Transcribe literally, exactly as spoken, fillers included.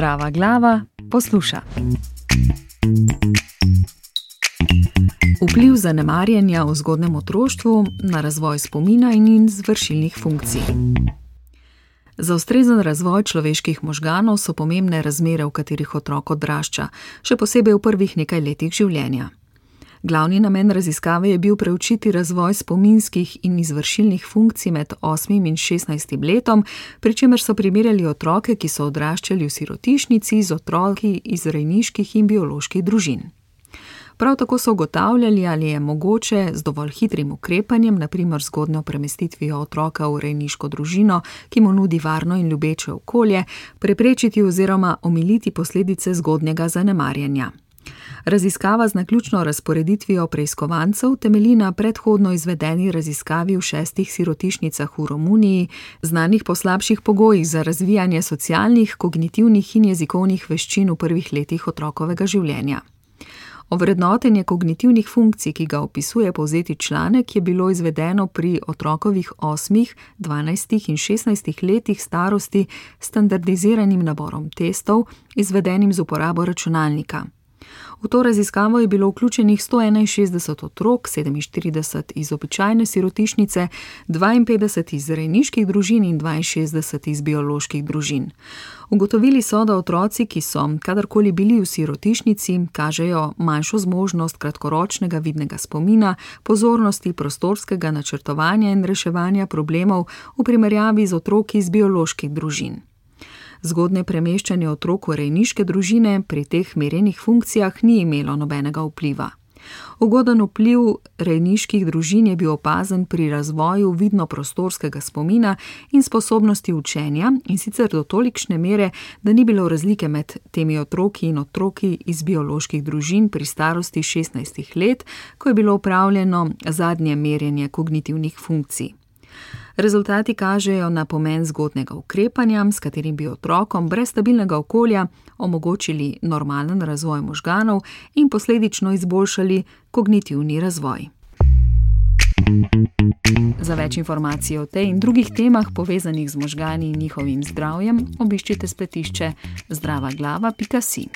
Zdrava glava posluša. Vpliv zanemarjanja v zgodnjem otroštvu na razvoj spomina in izvršilnih funkcij. Za ustrezen razvoj človeških možganov so pomembne razmere, v katerih otrok odrašča, še posebej v prvih nekaj letih življenja. Glavni namen raziskave je bil preučiti razvoj spominskih in izvršilnih funkcij med osmim in šestnajstim letom, pri čemer so primerjali otroke, ki so odraščali v sirotišnici, z otroki iz rejniških in bioloških družin. Prav tako so ugotavljali, ali je mogoče z dovolj hitrim ukrepanjem, na primer zgodnjo premestitvijo otroka v rejniško družino, ki mu nudi varno in ljubeče okolje, preprečiti oziroma omiliti posledice zgodnjega zanemarjanja. Raziskava z naključno razporeditvijo preiskovancev temelji na predhodno izvedeni raziskavi v šestih sirotišnicah v Romuniji, znanih po slabših pogojih za razvijanje socialnih, kognitivnih in jezikovnih veščin v prvih letih otrokovega življenja. Ovrednotenje kognitivnih funkcij, ki ga opisuje povzeti članek, je bilo izvedeno pri otrokovih osmih, dvanajstih in šestnajstih letih starosti s standardiziranim naborom testov, izvedenim z uporabo računalnika. V to raziskavo je bilo vključenih sto enainšestdeset otrok, sedeminštirideset iz običajne sirotišnice, dvainpetdeset iz rejniških družin in dvainšestdeset iz bioloških družin. Ugotovili so, da otroci, ki so kadarkoli bili v sirotišnici, kažejo manjšo zmožnost kratkoročnega vidnega spomina, pozornosti, prostorskega načrtovanja in reševanja problemov v primerjavi z otroki iz bioloških družin. Zgodnje premeščanje otrok v rejniške družine pri teh merjenih funkcijah ni imelo nobenega vpliva. Ugoden vpliv rejniških družin je bil opazen pri razvoju vidno-prostorskega spomina in sposobnosti učenja, in sicer do tolikšne mere, da ni bilo razlike med temi otroki in otroki iz bioloških družin pri starosti šestnajstih let, ko je bilo opravljeno zadnje merjenje kognitivnih funkcij. Rezultati kažejo na pomen zgodnjega ukrepanja, s katerim bi otrokom brez stabilnega okolja omogočili normalen razvoj možganov in posledično izboljšali kognitivni razvoj. Za več informacij o tej in drugih temah, povezanih z možgani in njihovim zdravjem, obiščite spletišče zdrava glava pika si.